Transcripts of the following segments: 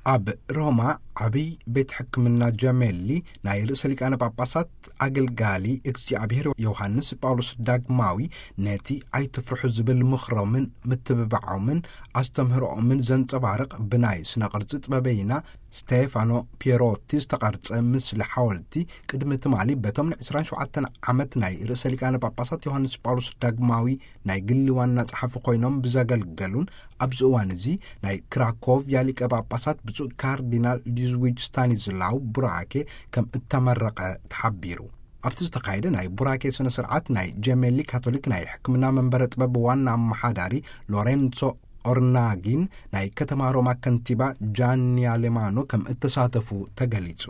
ኣብ ሮማ ዓብይ ቤት ሕክምና ጀሜሊ ናይ ርእሰ ሊቃነ ጳጳሳት ኣገልጋሊ እግዚኣብሔር ዮሃንስ ጳውሎስ ዳግማዊ ነቲ ኣይትፍርሑ ዝብል ምኽሮምን ምትብባዖምን ኣስተምህሮኦምን ዘንጸባርቕ ብናይ ስነ ቅርጺ ጥበበይና ስቴፋኖ ፒየሮቲ ዝተቐርጸ ምስሊ ሓወልቲ ቅድሚ ትማሊ በቶም ን ዕስራን ሸውዓተን ዓመት ናይ ርእሰ ሊቃነ ጳጳሳት ዮሃንስ ጳውሎስ ዳግማዊ ናይ ግሊ ዋና ጸሓፊ ኮይኖም ብዘገልገሉን ኣብዚ እዋን እዚ ናይ ክራኮቭያ ሊቀ ጳጳሳት ብፁዕ ካርዲናል ሉዝዊጅ ስታኒዝላው ቡራኬ ከም እተመረቐ ተሓቢሩ። ኣብቲ ዝተኻየደ ናይ ቡራኬ ስነ ስርዓት ናይ ጀሜሊ ካቶሊክ ናይ ሕክምና መንበረ ጥበብ ዋና ኣመሓዳሪ ሎሬንሶ ኦርናጊን ናይ ከተማ ሮማ ከንቲባ ጃኒ ኣሌማኖ ከም እተሳተፉ ተገሊጹ።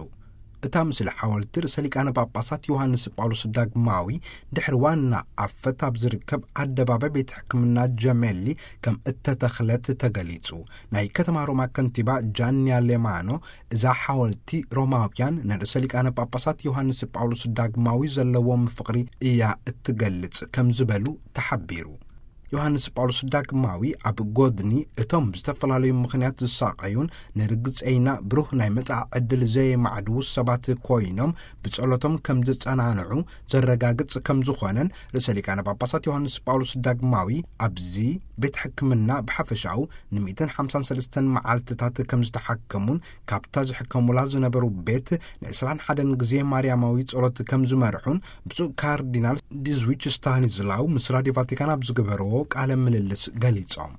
እታ ምስሊ ሓወልቲ ርእሰ ሊቃነ ጳጳሳት ዮሃንስ ጳውሎስ ዳግማዊ ድሕሪ ዋና ኣፈት ኣብ ዝርከብ ኣደባባይ ቤት ሕክምና ጀሜሊ ከም እተተኽለት ተገሊጹ። ናይ ከተማ ሮማ ከንቲባ ጃኒ ኣሌማኖ እዛ ሓወልቲ ሮማውያን ንርእሰ ሊቃነ ጳጳሳት ዮሃንስ ጳውሎስ ዳግማዊ ዘለዎም ፍቕሪ እያ እትገልጽ ከም ዝበሉ ተሓቢሩ። ዮሃንስ ጳውሎስ ዳግማዊ ኣብ ጎድኒ እቶም ብዝተፈላለዩ ምኽንያት ዝሳቐዩን ንርግጸይና ብሩህ ናይ መጻኢ ዕድል ዘየማዕድዉ ሰባት ኮይኖም ብጸሎቶም ከም ዝጸናንዑ ዘረጋግጽ ከም ዝኾነን ርእሰ ሊቃነ ጳጳሳት ዮሃንስ ጳውሎስ ዳግማዊ ኣብዚ ቤት ሕክምና ብሓፈሻኡ ን153 መዓልትታት ከም ዝተሓከሙን ካብታ ዝሕከሙላ ዝነበሩ ቤት ን21 ግዜ ማርያማዊ ጸሎት ከም ዝመርሑን ብፁዕ ካርዲናል ዲዝዊች ስታኒዝላው ምስ ራድዮ ቫቲካን ኣብ ዝገበርዎ ቃለ ምልልስ ገሊጾም።